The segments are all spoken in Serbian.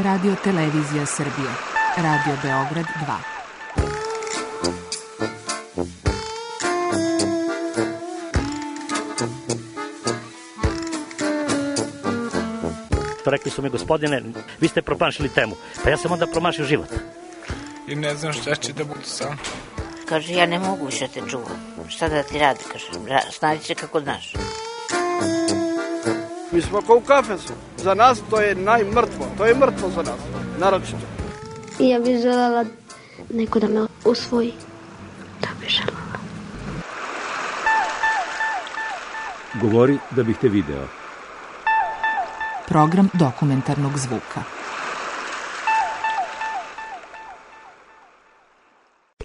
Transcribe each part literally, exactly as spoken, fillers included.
Radio Televizija Srbije. Radio Beograd dva. Rekli su mi, gospodine, vi ste promašili temu. Pa ja sam onda promašio život. I ne znam šta će da bude sam. Kaže, ja ne mogu više te čuvam. Šta da ti radi, kaže, snađi se kako znaš. Mi smo kao u kafesu. Za nas to je najmrtvo. To je mrtvo za nas, naročito. I ja bih želela neko da me usvoji. Da bih želela. Govori da bih te video. Program dokumentarnog zvuka.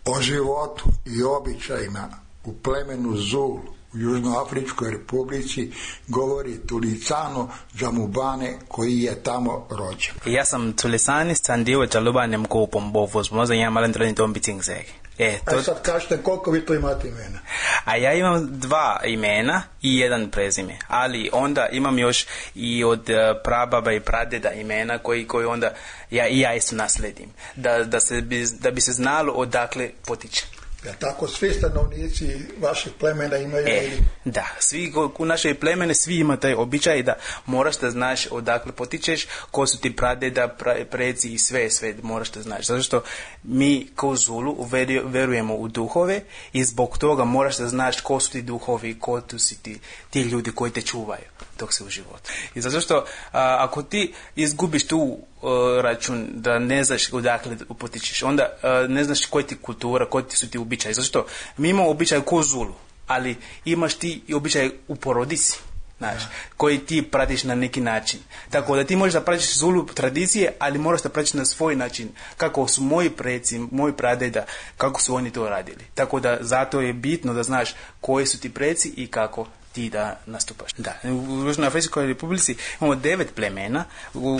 O životu i običajima u plemenu Zulu u Južnoafričkoj republici govori Tulisano Džamubane koji je tamo rođen. Ja sam Tulisani Sandivo Džalubane Mkopo Mbovo Zmoza i ja malan trojni tombi Cingseg. E, to... A sad kažete koliko vi to imate imena? A ja imam dva imena i jedan prezime, ali onda imam još i od prababa i pradeda imena koji, koji onda ja i ja isto nasledim, da, da, se bi, da bi se znalo odakle potiče. Ja, tako svi stanovnici vašeg plemena imaju... E, da, svi u našoj plemene svi ima taj običaj da moraš da znaš odakle potičeš, ko su ti pradeda, pra, preci i sve, sve moraš da znaš. Zato što mi kao Zulu verujemo u duhove i zbog toga moraš da znaš ko su ti duhovi, ko tu si ti, ti ljudi koji te čuvaju dok se u životu. I zato što a, ako ti izgubiš tu a, račun da ne znaš odakle potičeš, onda a, ne znaš koja ti kultura, koji ti su ti običaji. Zato što mi imamo običaj ko Zulu, ali imaš ti i običaj u porodici, znaš, koji ti pratiš na neki način. Tako da ti možeš da pratiš Zulu tradicije, ali moraš da pratiš na svoj način. Kako su moji preci, moji pradeda, kako su oni to radili. Tako da zato je bitno da znaš koji su ti preci i kako ti da nastupaš. Da, u Južnoafričkoj republici imamo devet plemena,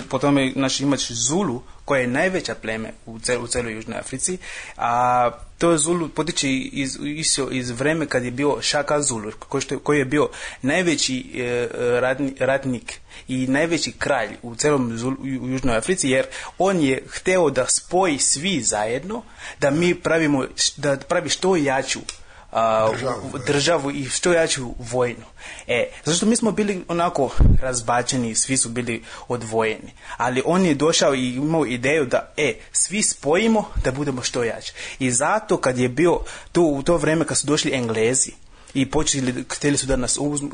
po tome znači, imaš Zulu, koja je najveća pleme u, cel, u celoj Južnoj Africi, a to Zulu potiče iz, iz, iz vreme kad je bio Shaka Zulu, koji, što, koji je bio najveći e, ratni, ratnik i najveći kralj u celom Zulu, u Južnoj Africi, jer on je hteo da spoji svi zajedno, da mi pravimo, da pravi što jaču A, državu, državu i što jaču vojnu. E, zato što mi smo bili onako razbačeni, svi su bili odvojeni. Ali on je došao i imao ideju da e, svi spojimo da budemo što jači. I zato kad je bio to, u to vreme kad su došli Englezi i počeli, htjeli su da nas uzmu,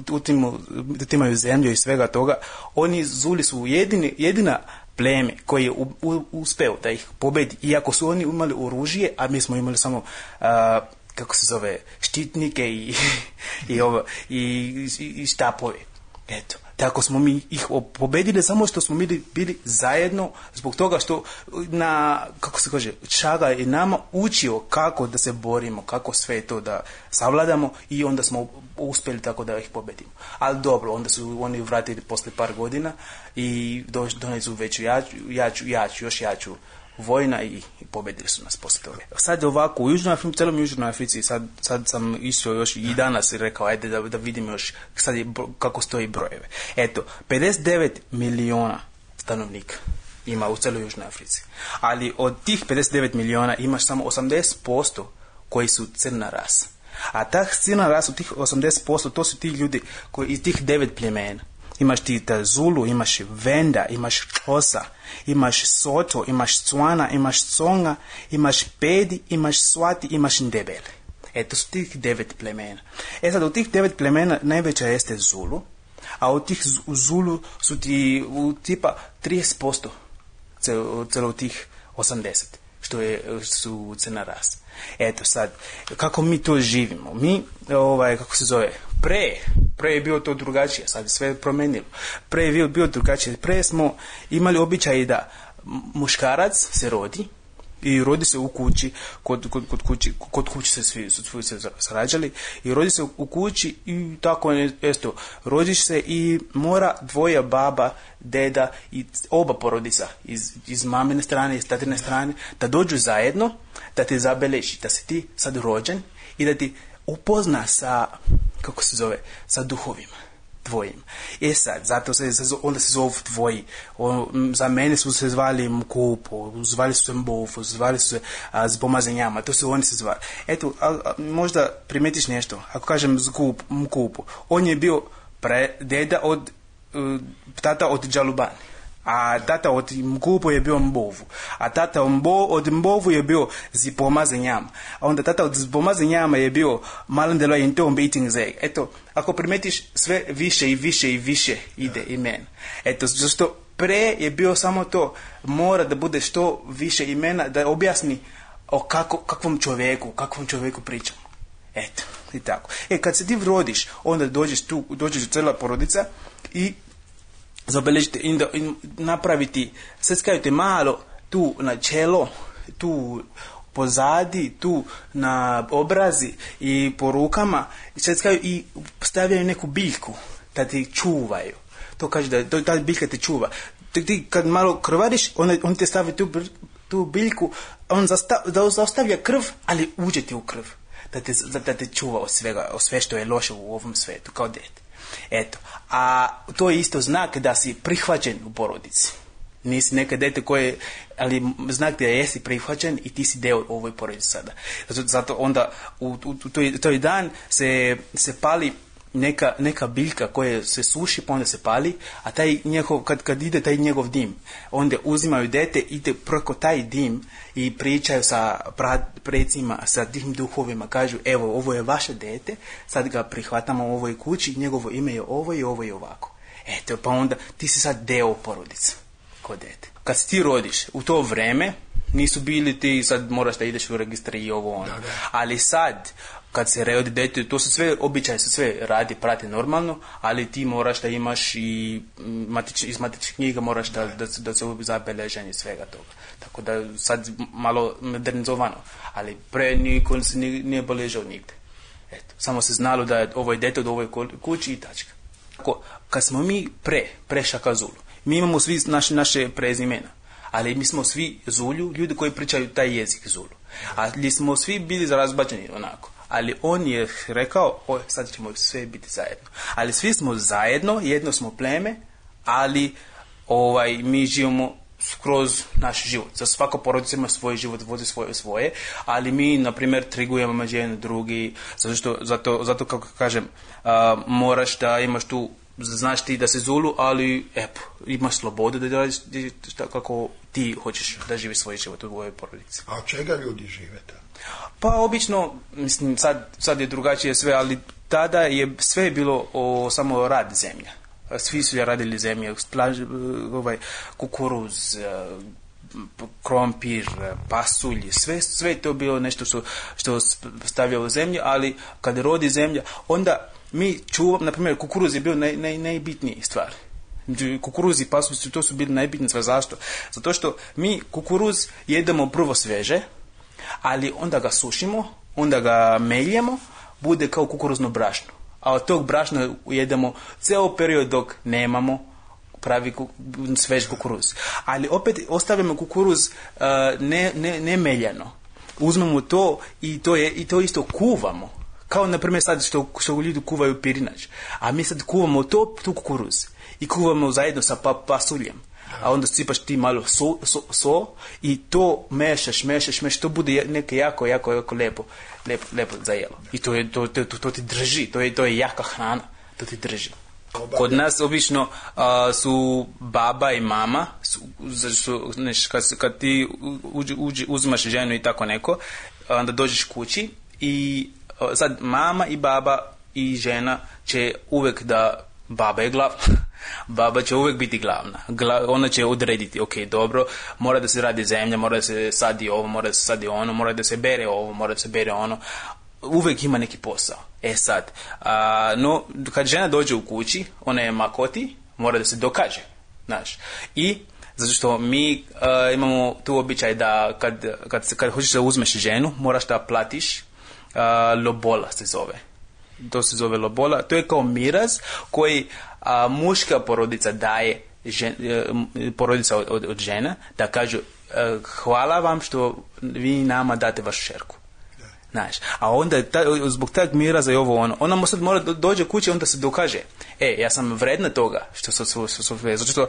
utimaju zemlju i svega toga, oni Zuli su jedini, jedina pleme koji je u, u, uspeo da ih pobedi, iako su oni imali oružje, a mi smo imali samo a, kako se zove, štitnike i, i, ovo, i, i, i štapove. Eto. Tako smo mi ih pobedili samo što smo bili, bili zajedno zbog toga što na, kako se kaže, Šaga je nama učio kako da se borimo, kako sve to da savladamo i onda smo uspjeli tako da ih pobedimo. Ali dobro, onda su oni vratili posle par godina i doneli su veću jaču, jaču, jaču, još jaču vojna i, i pobedili su nas poslije toga. Sad ovako, u Južnoj Africi, celom Južnoj Africi, sad, sad sam išao još i danas i rekao, ajde da, da vidim još sad je, kako stoji brojeve. Eto, pedeset devet miliona stanovnika ima u celoj Južnoj Africi. Ali od tih pedeset devet miliona imaš samo osamdeset posto koji su crna rasa. A ta crna rasa, tih osamdeset posto, to su ti ljudi koji iz tih devet plemena. Imaš ti ta Zulu, imaš Venda, imaš Xhosa, imaš Soto, imaš Tswana, imaš Tsonga, imaš Pedi, imaš Swati, imaš Ndebele. E, to su tih devet plemena. E sad, u tih devet plemena najveća jeste Zulu, a u tih Zulu su ti u tipa trideset posto celo, celo tih osamdeset, što je, su crna rasa. Eto sad, kako mi to živimo? Mi, ovaj, kako se zove, pre, pre je bilo to drugačije, sad je sve promenilo. Pre je bilo, bilo drugačije. Pre smo imali običaj da muškarac se rodi i rodi se u kući, kod, kod, kod, kući, kod kući se svi, svi se srađali i rodi se u kući i tako esto, rodiš se i mora dvoja baba, deda i oba porodica iz, iz mamine strane, iz tatine strane, da dođu zajedno, da te zabeleži, da si ti sad rođen i da ti upozna sa, kako se zove, sa duhovima. tvojim. E sad, zato se, onda se zovu tvoji. O, za mene su se zvali Mkupo, zvali su se Mbovu, zvali su se a, z pomazanjama, to su oni se zvali. Eto, a, a, možda primetiš nešto, ako kažem Zgup, Mkupo, on je bio pre, deda od, uh, tata od Džalubani. A tata od Mkupo je bio Mbovu. A tata Mbo, od Mbovu je bio Zipomazanjama. A onda tata od Zipomazanjama je bio Malandelo in tom beating zeg. Eto, ako primetiš, sve više i više i više ide imen. Eto, zašto pre je bio samo to, mora da bude što više imena, da objasni o kako, kakvom čovjeku, kakvom čovjeku pričamo. Eto, i tako. E, kad se ti rodiš, onda dođeš tu, dođeš cijela porodica i zabeležite i napraviti, sve skajete malo tu na čelo, tu pozadi, tu na obrazi i po rukama, sve skaju i stavljaju neku biljku da ti čuvaju. To kaže da ta biljka te čuva. Ti kad malo krvariš, on, on te stavi tu, tu biljku, on zastav, da zaostavlja krv, ali uđe ti u krv. Da te, da te čuva od svega, od sve što je loše u ovom svetu, kao dete. Eto, a to je isto znak da si prihvaćen u porodici. Nisi neka dete koje, ali znak da jesi prihvaćen i ti si deo ovoj porodici sada. Zato, zato onda u, u, u toj, toj dan se, se pali neka, neka biljka koja se suši, pa onda se pali, a taj njegov, kad, kad ide taj njegov dim, onda uzimaju dete, ide preko taj dim i pričaju sa precima, sa tim duhovima, kažu, evo, ovo je vaše dete, sad ga prihvatamo u ovoj kući, njegovo ime je ovo i ovo i ovako. Eto, pa onda ti si sad deo porodice, ko dete. Kad si ti rodiš, u to vreme, nisu bili ti, sad moraš da ideš u registri i ovo ono, da, da. Ali sad, kad se rodi dete, to se sve, običaj se sve radi, prati normalno, ali ti moraš da imaš i matič, iz matičnih knjiga moraš da, da, da se zabeleženje svega toga. Tako da sad malo modernizovano, ali pre niko se nije, nije beležao nigde. Eto, samo se znalo da je ovo je dete od ovoj kući i tačka. Tako, kad smo mi pre, pre Šaka Zulu, mi imamo svi naše, naše prezimena, ali mi smo svi Zulju, ljudi koji pričaju taj jezik Zulu. Ali smo svi bili razbačeni onako. Ali on je rekao, oj, sad ćemo sve biti zajedno. Ali svi smo zajedno, jedno smo pleme, ali ovaj, mi živimo skroz naš život. Za svaka porodica ima svoj život, vodi svoje svoje, ali mi, na primjer, trgujemo među jedan drugi, zato što, zato, zato kako kažem, a, moraš da imaš tu, znaš ti da se Zulu, ali epo, imaš slobodu da radiš kako ti hoćeš da živiš svoj život u ovoj porodici. A od čega ljudi žive tamo? Pa obično, mislim, sad, sad je drugačije sve, ali tada je sve bilo o, samo rad zemlja. Svi su radili zemlje, plaž, ovaj, kukuruz, krompir, pasulj, sve, sve to bilo nešto što, što stavlja u zemlju, ali kad rodi zemlja, onda mi čuvamo, na primjer, kukuruz je bio naj, naj, najbitniji stvar. Kukuruz i pasulj, to su bili najbitnije stvar. Zašto? Zato što mi kukuruz jedemo prvo sveže, ali onda ga sušimo, onda ga meljemo, bude kao kukuruzno brašno. A od tog brašna jedemo ceo period dok nemamo pravi svež kukuruz. Ali opet ostavljamo kukuruz uh, ne, ne, ne meljano. Uzmemo to i to, je, i to isto kuvamo. Kao na primjer sad što, što ljudi kuvaju pirinač. A mi sad kuvamo to, tu kukuruz. I kuvamo zajedno sa pa, pasuljem. A onda sipaš ti malo so, so, so i to mešaš, mešaš, mešaš, to bude neke jako, jako, jako lepo, lepo, lepo za jelo. I to, je, to, to, to, to ti drži, to je, to je jaka hrana, to ti drži. Kod nas obično uh, su baba i mama, su, su, neš, kad, kad ti uđi, uđi, uzimaš ženu i tako neko, onda dođeš kući i uh, sad mama i baba i žena će uvek da, baba je glavna. Baba će uvijek biti glavna. Gla, ona će odrediti, ok, dobro, mora da se radi zemlja, mora da se sadi ovo, mora da se sadi ono, mora da se bere ovo, mora da se bere ono. Uvijek ima neki posao. E sad, a, no, kad žena dođe u kući, ona je makoti, mora da se dokaže, znaš. I zato što mi a, imamo tu običaj da kad, kad, kad hoćeš da uzmeš ženu, moraš da platiš a, lobola se zove. To se zove lobola. To je kao miraz koji a, muška porodica daje žen, porodica od, od, od žena, da kažu hvala vam što vi nama date vašu šerku. Znaš, a onda ta, zbog tog miraza i ovo ono, ona sad mora dođe kući, onda se dokaže, e, ja sam vredna toga, što su, su, su, su zato što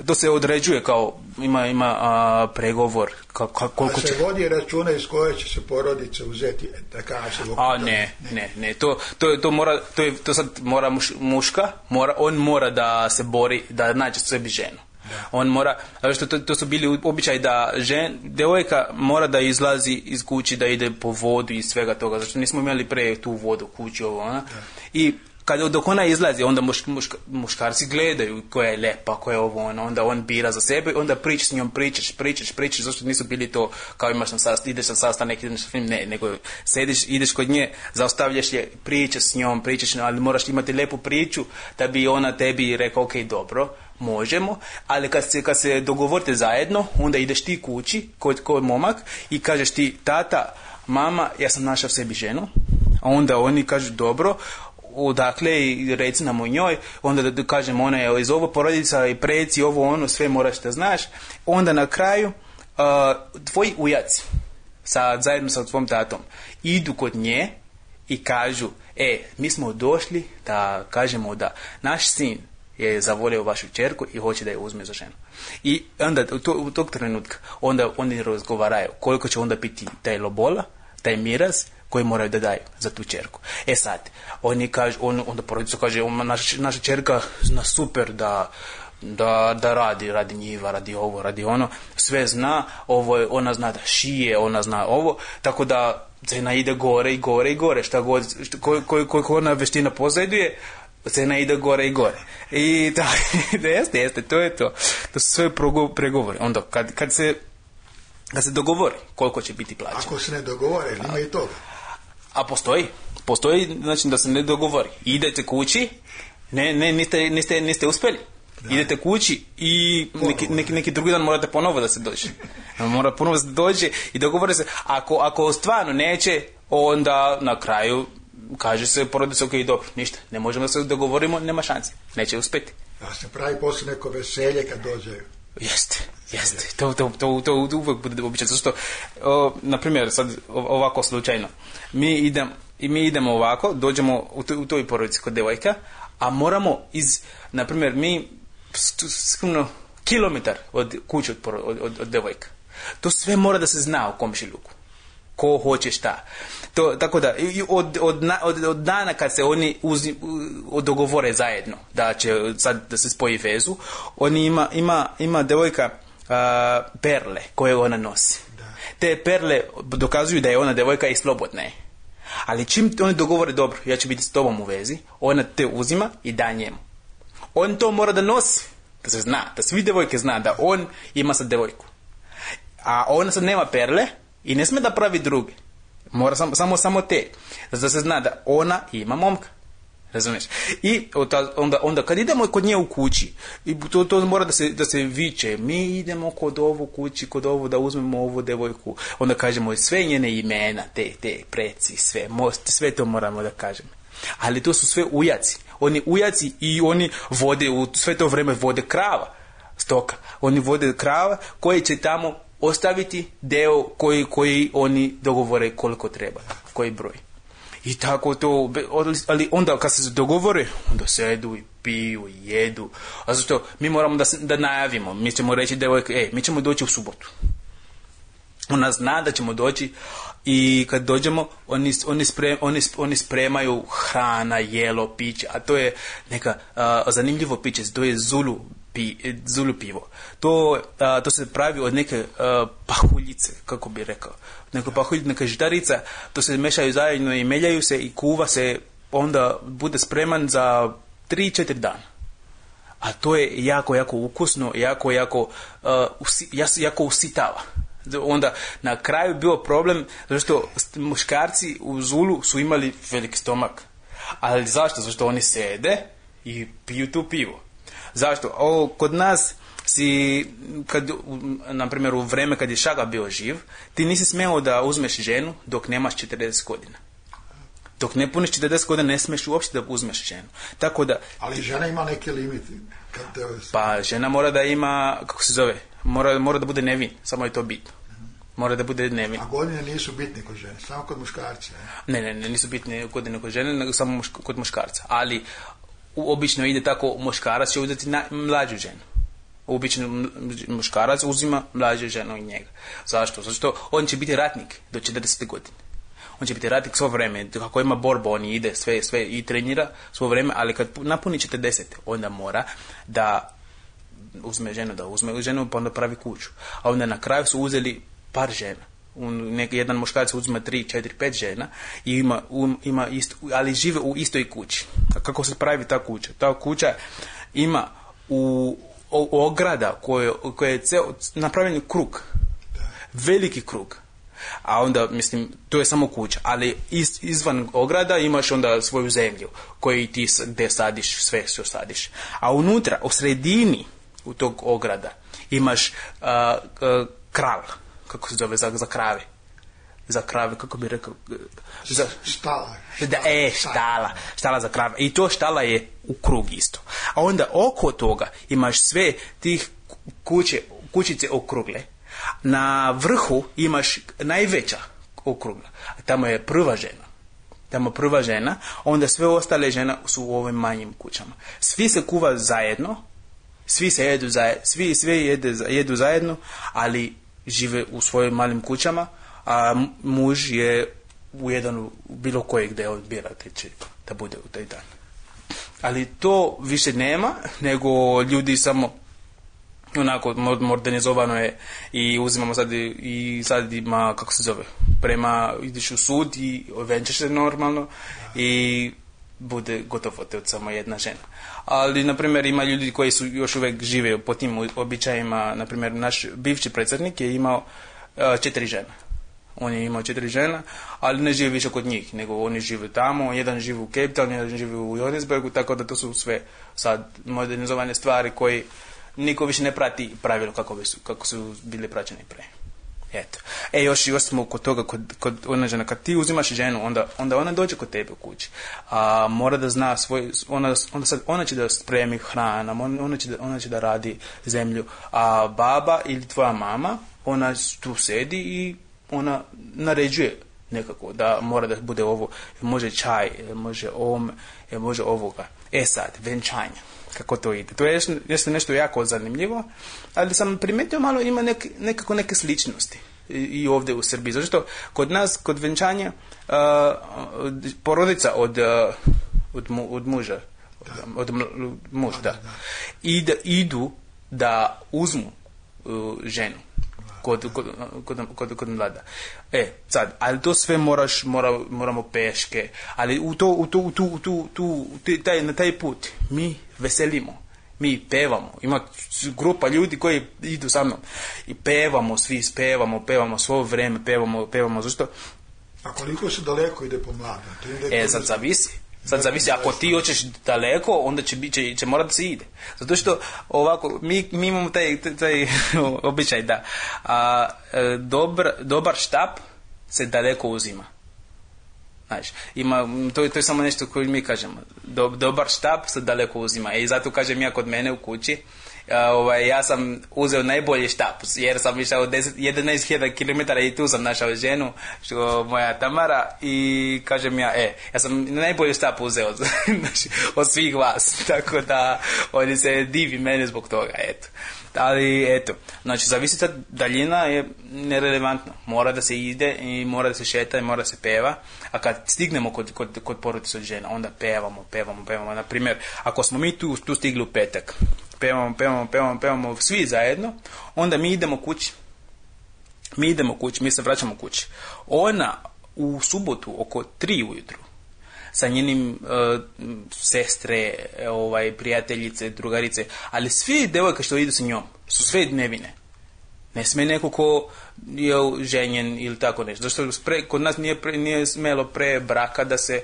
to se određuje kao, ima, ima a, pregovor, ka, ka, koliko će... A se vodi računa iz koje će se porodice uzeti, da kaže... A ne, ne, ne, to, to, to mora, to, je, to sad mora muš, muška, mora, on mora da se bori, da nađe sebi ženu. Da. On mora, što to, to su bili običaj da žen, devojka mora da izlazi iz kući, da ide po vodu i svega toga, zato nismo imali pre tu vodu u kući ovo, ona. I kad dok ona izlazi, onda muš, muš, muškarci gledaju koja je lepa, koja je ovo, ono, onda on bira za sebe, onda pričaš s njom, pričaš, pričaš, pričaš, zašto nisu bili to kao imaš na sastanak, ideš na sastanak, ideš na film, ne, nego sediš, ideš kod nje, zaustavljaš je, pričaš s njom, pričaš, ali moraš imati lepu priču da bi ona tebi rekao, ok, dobro, možemo, ali kad se, kad se dogovorite zajedno, onda ideš ti kući, kod, kod momak i kažeš ti, tata, mama, ja sam našao sebi ženu, a onda oni kažu, dobro, odakle i reci nam o njoj, onda da, da kažem ona je iz ovo porodica i preci, ovo ono, sve moraš da znaš, onda na kraju uh, tvoji ujaci sa, zajedno sa tvojom tatom idu kod nje i kažu, e, mi smo došli da kažemo da naš sin je zavolio vašu čerku i hoće da je uzme za ženu. I onda u, to, u tog trenutka onda oni razgovaraju koliko će onda biti taj lobola, taj miraz koji moraju da daju za tu čerku. E sad, oni kažu, on, onda porodica kaže, naša, naša čerka zna super da, da, da radi, radi njiva, radi ovo, radi ono, sve zna, ovo, ona zna da šije, ona zna ovo, tako da cena ide gore i gore i gore, šta god, koju ko, ko, ko ona veština posjeduje, cena ide gore i gore. I da, da jeste, jeste, to je to. To su sve pregovori. Onda, kad, kad se kad se dogovori koliko će biti plaća. Ako se ne dogovore, ima i toga. A postoji, postoji, znači da se ne dogovori. Idete kući, ne, ne, niste, niste, niste uspjeli. Da. Idete kući i neki, neki, neki drugi dan morate ponovo da se dođe. Mora ponovo da se dođe i dogovore se. Ako, ako stvarno neće, onda na kraju kaže se porodica, ok, dobro, ništa, ne možemo da se dogovorimo, nema šanse, neće uspjeti. Da se pravi posle neko veselje kad dođeju. Jeste, jeste, to, to, to, to, to uvijek bude običaj, zato što, o, na primjer, sad ovako slučajno, mi, idem, mi idemo ovako, dođemo u, to, u toj porodici kod devojka, a moramo iz, na primjer, mi skromno kilometar od kuće od, od, od, od devojka. To sve mora da se zna u komšiluku. Ko hoće šta. To, tako da, od, od, od, od dana kad se oni uzi, dogovore zajedno da će sad da se spoji vezu, oni ima, ima, ima devojka uh, perle koje ona nosi. Da. Te perle dokazuju da je ona devojka i slobodna je. Ali čim oni dogovore, dobro, ja ću biti s tobom u vezi, ona te uzima i da njemu. On to mora da nosi, da se zna, da svi devojke zna da on ima sad devojku. A ona sad nema perle i ne sme da pravi druge. Mora samo, samo, samo te. Da se zna da ona ima momka. Razumiješ? I onda, onda kad idemo kod nje u kući, i to, to mora da se, da se viče, mi idemo kod ovu kući, kod ovu da uzmemo ovu devojku. Onda kažemo sve njene imena, te, te preci, sve, most, sve to moramo da kažemo. Ali to su sve ujaci. Oni ujaci i oni vode, u sve to vreme vode krava, stoka. Oni vode krava koji će tamo ostaviti deo koji, koji oni dogovore koliko treba, koji broj. I tako to, ali onda kad se dogovore, onda sedu i piju i jedu. A zato mi moramo da, da najavimo, mi ćemo reći devojke, e, mi ćemo doći u subotu. Ona zna da ćemo doći i kad dođemo, oni, oni, sprem, oni, oni spremaju hrana, jelo, piće, a to je neka uh, zanimljivo piće, to je Zulu, pi, Zulu pivo. To, uh, to se pravi od neke uh, pahuljice, kako bi rekao. Neka pahuljica, neka žitarica, to se mešaju zajedno i meljaju se i kuva se, onda bude spreman za tri četiri dana. A to je jako, jako ukusno, jako, jako, uh, usi, jako usitava. Onda na kraju bio problem zato što muškarci u Zulu su imali veliki stomak. Ali zašto? Zato što oni sede i piju tu pivo. Zašto? O, kod nas si, kad, na primjer u vreme kad je Šaga bio živ, ti nisi smeo da uzmeš ženu dok nemaš četrdeset godina. Dok ne puniš četrdeset godina ne smeš uopšte da uzmeš ženu. Tako da, ali žena ima neke limite. Pa žena mora da ima, kako se zove, mora, mora da bude nevin, samo je to bitno. Mora da bude dnevni. A godine nisu bitne kod žene, samo kod muškarca. Ne, ne, ne, nisu bitne godine kod žene, nego samo mušk- kod muškarca. Ali u, obično ide tako, muškarac će uzeti na, mlađu ženu. Obično muškarac uzima mlađu ženu od njega. Zašto? Zato što on će biti ratnik do četrdeset godine. On će biti ratnik svo vrijeme. Kako ima borbu, on ide sve, sve i trenira svo vrijeme, ali kad napuni četrdeset, onda mora da uzme ženu, da uzme ženu, pa onda pravi kuću. A onda na kraju su uzeli par žena. Nek, jedan muškarac uzme tri, četiri, pet žena i ima, um, ima isto, ali žive u istoj kući. A kako se pravi ta kuća? Ta kuća ima u, u ograda koje, koje je ceo, napravljen krug. Veliki krug. A onda, mislim, to je samo kuća, ali iz, izvan ograda imaš onda svoju zemlju koju ti gdje sadiš, sve što sadiš. A unutra, u sredini u tog ograda imaš uh, uh, kral, kako se zove, za, za krave. Za krave, kako bi rekao? Za, štala. Da, e, štala. Štala za krave. I to štala je u krug isto. A onda oko toga imaš sve tih kuće, kućice okrugle. Na vrhu imaš najveća okrugla. Tamo je prva žena. Tamo prva žena, onda sve ostale žena su u ovim manjim kućama. Svi se kuva zajedno, svi se jedu zajedno, svi sve jede, jedu zajedno, ali žive u svojim malim kućama, a muž je u jedan, bilo koje gdje on bira teče da bude u taj dan. Ali to više nema, nego ljudi samo onako modernizovano je i uzimamo sad i, i sad ima, kako se zove, prema, ideš u sud i venčaš se normalno i bude gotovo te od samo jedna žena. Ali, na primjer, ima ljudi koji su još uvijek žive po tim običajima. Na primjer, naš bivši predsjednik je imao uh, četiri žene. On je imao četiri žena, ali ne žive više kod njih, nego oni žive tamo, jedan živi u Cape Town, jedan živi u Johannesburgu, tako da to su sve sad modernizovane stvari koji niko više ne prati pravilo kako, su, kako su bili praćeni pre. Eto. E, još, još smo kod toga, kod, kod ona žena, kad ti uzimaš ženu, onda, onda ona dođe kod tebe u kući. A mora da zna svoj, ona, onda sad, ona će da spremi hrana, ona će da, ona će da radi zemlju. A baba ili tvoja mama, ona tu sedi i ona naređuje nekako da mora da bude ovo, može čaj, može om, može ovoga. E sad, venčanje. Kako to ide. To je nešto, nešto jako zanimljivo, ali sam primijetio malo ima nek, nekako neke sličnosti i, i ovdje u Srbiji. Zato što kod nas, kod venčanja, uh, porodica od, uh, od, mu, od muža, od, od muža, da, ide, idu da uzmu uh, ženu kod, kod, kod, kod, kod mlada. E, sad, ali to sve moraš, mora, moramo peške, ali u to, u to, u tu, u tu, tu, taj, na taj put mi veselimo, mi pevamo, ima grupa ljudi koji idu sa mnom i pevamo, svi pevamo, pevamo svo vrijeme, pevamo, pevamo, zašto? A koliko se daleko ide po mladom? E, sad zavisi. Sad zavisi, ako ti hoćeš daleko, onda će, će, će morati da se ide. Zato što ovako, mi, mi imamo taj, taj, taj običaj da a, dobar, dobar štap se daleko uzima. Znaš, ima, to, je, to je samo nešto koje mi kažemo. Do, dobar štap se daleko uzima. I zato kažem ja kod mene u kući, a, ovaj, ja sam uzeo najbolji štap, jer sam išao jedanaest hiljada kilometara i tu sam našao ženu, što moja Tamara, i kažem ja, e, ja sam najbolji štap uzeo znači, od svih vas, tako da oni se divi mene zbog toga, eto. Ali eto, znači zavisi ta daljina je nerelevantna, mora da se ide i mora da se šeta i mora da se peva, a kad stignemo kod, kod, kod porodice od žena, onda pevamo, pevamo, pevamo. Na primjer, ako smo mi tu, tu stigli u petak, pevamo, pevamo, pevamo, pevamo svi zajedno, onda mi idemo kući. Mi idemo kući, mi se vraćamo kući. Ona u subotu oko tri ujutru sa njenim uh, sestre, ovaj, prijateljice, drugarice, ali svi devojke što idu sa njom su sve nevine. Ne sme neko ko je ženjen ili tako nešto. Zašto pre, kod nas nije, pre, nije smelo pre braka da se,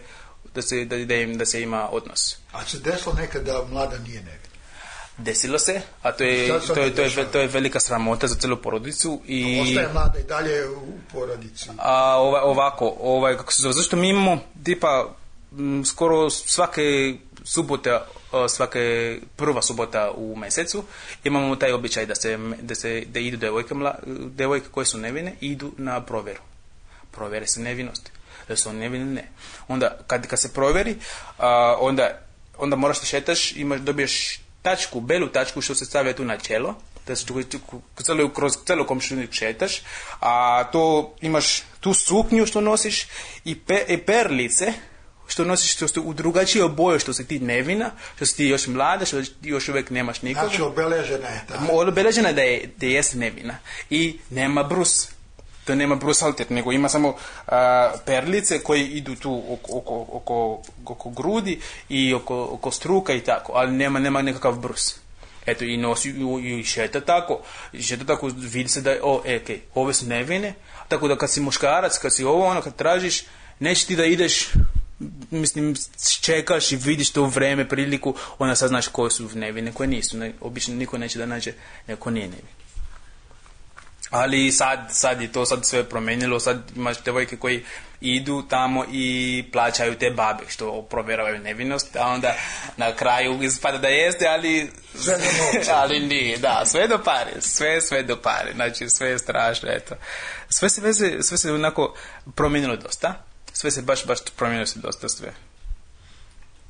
da se, da, da, im, da se ima odnos. A se desilo nekad da mlada nije nevina? Desilo se, a to je, to je, to je, to je velika sramota za celu porodicu. I, a ostaje mlada i dalje u porodici? A, ovaj, ovako, ovaj, kako se zove, zašto mi imamo tipa m, skoro svake subote svake prva subota u mjesecu imamo taj običaj da se, da se da idu devojke, mla, devojke koje su nevine idu na provjeru. Provjere se nevinosti. Da su oni nevini, ne. Onda, kad, kad se provjeri, a, onda, onda moraš da šetaš, imaš, dobiješ tačku, belu tačku što se stavlja tu na čelo, da se kroz celu komšinik šetaš, a to imaš tu suknju što nosiš i, pe, i perlice što nosiš, što ste u drugačije boje, što si ti nevina, što si ti još mlada, što još uvijek nemaš nikoga. Znači obeležena je ta. Obeležena je da je, da jesi nevina. I nema brus. To nema brusalter, nego ima samo uh, perlice koje idu tu oko, oko, oko, oko grudi i oko, oko struka i tako, ali nema, nema nekakav brus. Eto, i nosi i, i šeta tako, i šeta tako, vidi se da je, o, e, okay, ove su nevine, tako da kad si muškarac, kad si ovo, ono, kad tražiš, neće ti da ideš, mislim, čekaš i vidiš to vreme, priliku, onda sad znaš koje su nevine, koje nisu. Ne, obično niko neće da nađe neko nije nevin. Ali sad, sad je to sad sve promenilo, sad imaš devojke koji idu tamo i plaćaju te babe što provjeravaju nevinost, a onda na kraju ispada da jeste, ali sve ali nije, da, sve do pare, sve, sve do pare, znači sve je strašno, eto. Sve se veze, sve se onako promijenilo dosta, sve se baš, baš promijenilo se dosta sve.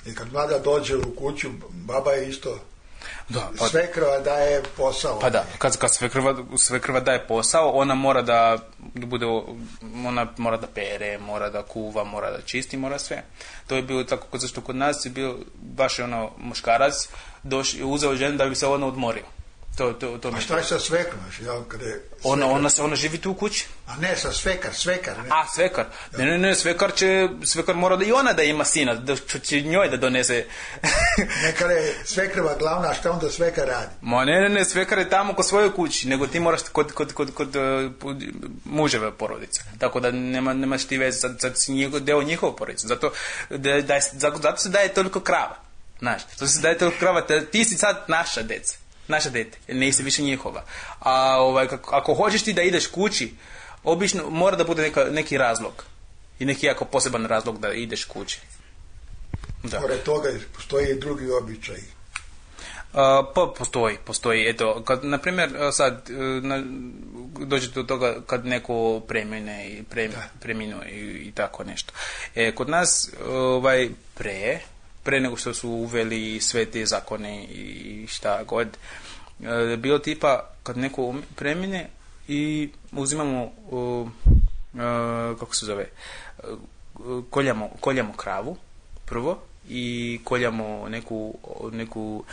I kad mlada dođe u kuću, baba je isto... Da, pa, svekrva daje posao. Pa da, kad, kad svekrva, svekrva daje posao, ona mora da bude, ona mora da pere, mora da kuva, mora da čisti, mora sve. To je bilo tako, zašto kod nas je bio baš ono muškarac, doš, uzeo ženu da bi se ona odmorio. To, to, to a šta je sa svekrom? Ona, ona, ona živi tu u kući. A ne, sa svekar, svekar. Ne? A, svekar. Ne, ne, ne, svekar će, svekar mora da i ona da ima sina, da će njoj da donese. Neka je svekrva glavna, a šta onda svekar radi? Ma ne, ne, ne, svekar je tamo kod svojoj kući, nego ti moraš kod, kod, kod, kod uh, muževe porodice. Tako da nema, nemaš ti veze, sad, sad si njegov, deo njihove porodice. Zato, da, da, zato se daje toliko krava. Znaš, zato se daje toliko krava, ti si sad naša deca. Naša dete, nisi više njihova. A ovaj, kako, ako hoćeš ti da ideš kući, obično mora da bude neka, neki razlog. I neki jako poseban razlog da ideš kući. Da. Pored toga postoji i drugi običaj. Uh, pa postoji, postoji. Eto, kad, na primjer, sad na, dođe do toga kad neko premine i pre, preminuo i, i tako nešto. E, kod nas ovaj, pre... pre nego što su uveli sve te zakone i šta god, e, bilo tipa kad neko premine i uzimamo uh, uh, kako se zove uh, koljamo, koljamo kravu prvo i koljamo neku, neku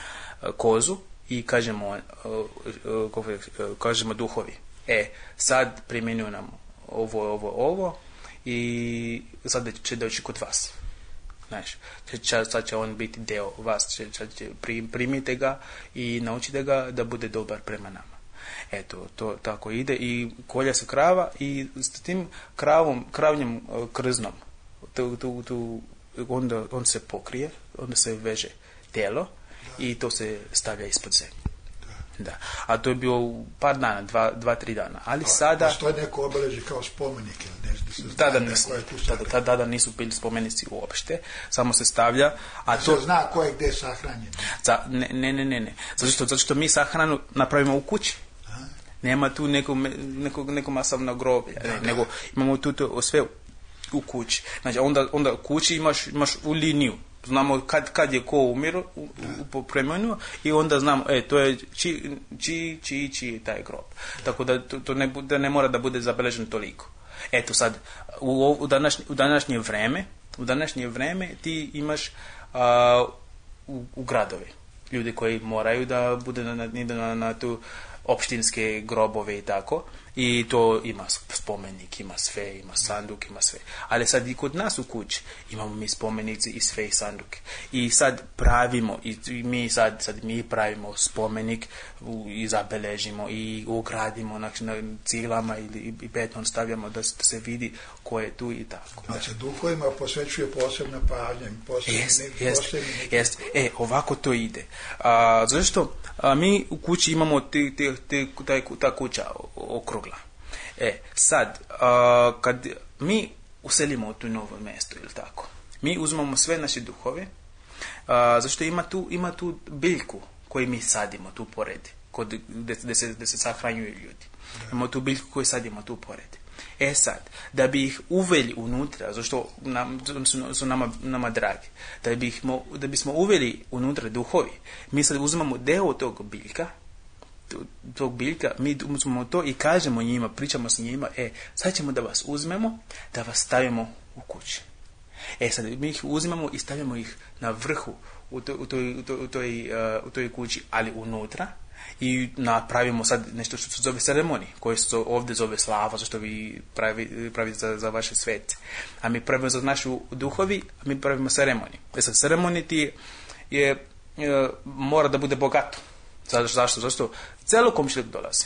uh, kozu i kažemo uh, uh, kako, uh, kažemo duhovi, e sad primjenjuju nam ovo, ovo, ovo i sad će doći kod vas. Znaš, sad će on biti deo vas, će, će, primite ga i naučite ga da bude dobar prema nama. Eto, to tako ide i kolja se krava i s tim kravom, kravnjem krznom, tu, tu, tu, onda on se pokrije, onda se veže telo i to se stavlja ispod zemlje. Da. A to je bilo par dana, dva, dva tri dana. Ali a, sada... Postoje neko obeleži kao spomenik ili nešto? Se tada, nisu, tada, tada nisu bili spomenici uopšte, samo se stavlja. A se to zna ko je gdje sahranjen? Za, ne, ne, ne, ne. Zato što, zato što mi sahranu napravimo u kući. A? Nema tu neko, neko, neko masovno groblje, da, ne, da. Nego imamo tu to sve u kući. Znači, onda, onda u kući imaš, imaš u liniju. Znamo kad, kad je ko umiru u, u preminuo i onda znamo, e, to je či, či, či, či taj grob. Tako da to, to ne, da ne mora da bude zabeleženo toliko. Eto sad, u, u, današnje, u današnje vreme, u današnje vreme ti imaš a, u, u gradovi ljudi koji moraju da bude na, na, na, na tu opštinske grobove i tako. I to ima spomenik, ima sve, ima sanduk, ima sve. Ali sad i kod nas u kući imamo mi spomenici i sve i sanduke. I sad pravimo, i mi sad, sad mi pravimo spomenik i zabeležimo i ugradimo na, na ciglama ili i beton stavljamo da, da se vidi ko je tu i tako. Znači duhovima posvećuje posebna pažnja. Jest, jest, jest. E, ovako to ide. A, zašto? A, mi u kući imamo ti, ti, ti, taj, ta kuća okrugla. E, sad, a, kad mi uselimo u tu novo mjesto, ili tako, mi uzmemo sve naše duhove, zašto ima tu, ima tu biljku koju mi sadimo tu pored, kod, gde, gde, se, gde se sahranjuju ljudi. Imamo tu biljku koju sadimo tu pored. E sad, da bi ih uveli unutra, zašto nam, su, su nama, nama dragi, da, bi ih, da bismo uveli unutra duhovi, mi sad uzmamo deo tog biljka, tog biljka, mi uzmemo to i kažemo njima, pričamo s njima, e, sad ćemo da vas uzmemo, da vas stavimo u kući. E sad, mi ih uzmemo i stavimo ih na vrhu u toj, u toj, u toj, u toj, uh, u toj kući, ali unutra, i napravimo sad nešto što se zove ceremonije, koje se ovdje zove slava, zašto vi pravi, pravite za, za vaše svete. A mi pravimo za našu duhovi, a mi pravimo ceremonije. E sad, ceremonije ti je, je, mora da bude bogato. Zašto? Zašto? Zašto? Celo komšiluk dolazi.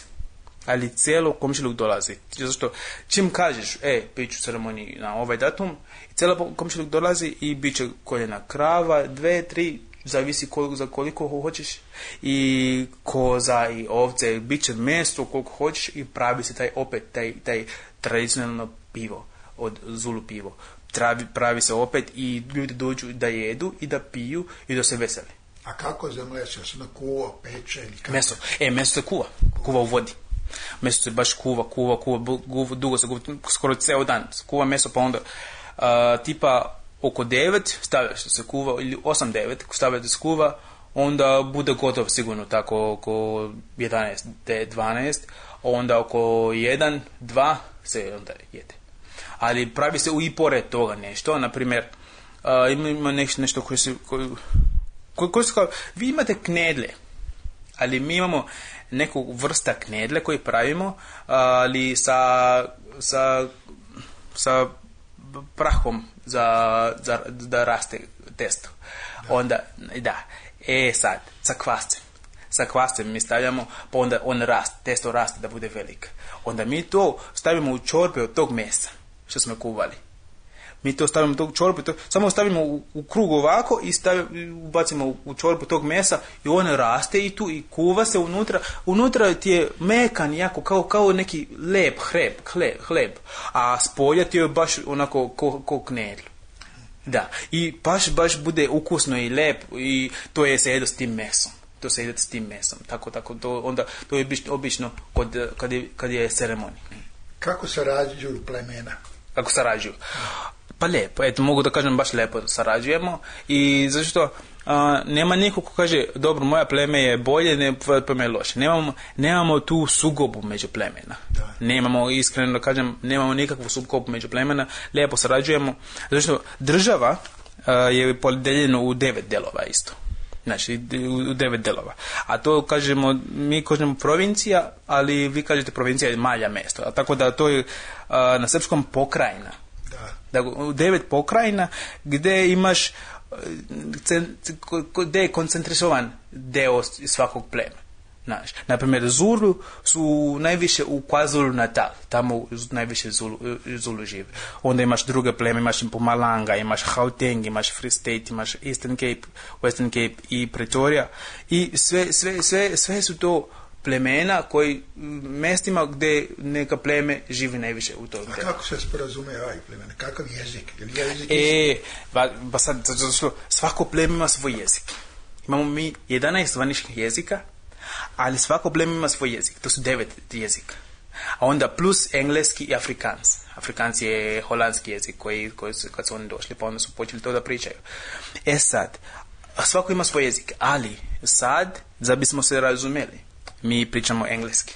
Ali celo komšiluk dolazi. Zašto? Čim kažeš, e, bit ću ceremoniji na ovaj datum, celo komšiluk dolazi i bit će koljena krava, dve, tri, zavisi koliko, za koliko hoćeš, i koza i ovce, bit će meso koliko hoćeš i pravi se taj opet, taj, taj tradicionalno pivo, od Zulu pivo. Pravi, pravi se opet i ljudi dođu da jedu i da piju i da se veseli. A kako za meso? Se na kuva, peče ili kako? Meso. E, meso se kuva. Kuva u vodi. Meso se baš kuva, kuva, kuva, kuva dugo se kuva, skoro ceo dan. Kuva meso, pa onda uh, tipa oko devet stavljaš se kuva, ili osam devet stavljate se kuva, onda bude gotov sigurno tako oko jedanaest dvanaest, onda oko jedan dva se onda jede. Ali pravi se u i pored toga nešto, na primjer, uh, ima nešto, nešto koje se... Koje, Ko, ko kao, vi imate knedle, ali mi imamo neku vrsta knedle koju pravimo, ali sa, sa, sa prahom za, za da raste testo. Da. Onda, da, e sad, sa kvascem. Sa kvascem mi stavljamo, pa onda on raste, testo raste da bude velik. Onda mi to stavimo u čorbe od tog mesa što smo kuvali. Mi to stavimo tog čorbu, to, samo stavimo u, u krug ovako i stavimo, ubacimo u, u čorbu tog mesa i on raste i tu i kuva se unutra. Unutra ti je mekan jako, kao, kao neki lep hleb, hleb, hleb, a spolja ti je baš onako ko, ko knedl. Da, i baš, baš bude ukusno i lep i to je se jedo s tim mesom. To se jede s tim mesom. Tako, tako, to, onda, to je obično kod, kad, je, kad je ceremonija. Kako se rađuju plemena? Kako se rađuju? Pa lijepo, eto, mogu da kažem baš lijepo sarađujemo i zašto a, nema niko ko kaže dobro, moja pleme je bolje, ne pleme je loše. Nemamo, nemamo tu sukobu među plemena. Da. Nemamo, iskreno da kažem, nemamo nikakvu sukobu među plemena, lijepo sarađujemo. Zašto država a, je podeljena u devet delova isto. Znači, u devet delova. A to kažemo, mi kažemo provincija, ali vi kažete provincija je malja mesto. A tako da to je a, na srpskom pokrajina. Da, u devet pokrajina gdje imaš, gdje je koncentrisovan deo svakog plema. Znaš, naprimjer, Zulu su najviše u KwaZulu Natal, tamo najviše Zulu, Zulu žive. Onda imaš druge pleme, imaš Mpumalanga, imaš Gauteng, imaš Free State, imaš Eastern Cape, Western Cape i Pretoria. I sve, sve, sve, sve su to plemena koji mestima gdje neka pleme živi najviše u toj. A kako se sporazumijevaju plemena? Kakav jezik? Je jezik e, ba, ba sad, svako pleme ima svoj jezik. Imamo mi jedanaest zvaničnih jezika, ali svako pleme ima svoj jezik. To su devet jezika. A onda plus engleski i afrikans. Afrikans je holandski jezik koji, koji su, kad su oni došli, pa onda su počeli to da pričaju. E sad, svako ima svoj jezik, ali sad, da bismo se razumeli, mi pričamo engleski,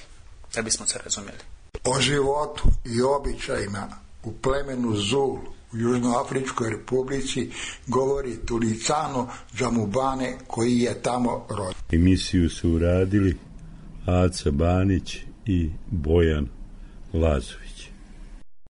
da bismo se razumjeli. O životu i običajima u plemenu Zulu u Južnoafričkoj republici govori Tulicano Džamubane koji je tamo rođen. Emisiju su uradili Aca Banić i Bojan Lazović.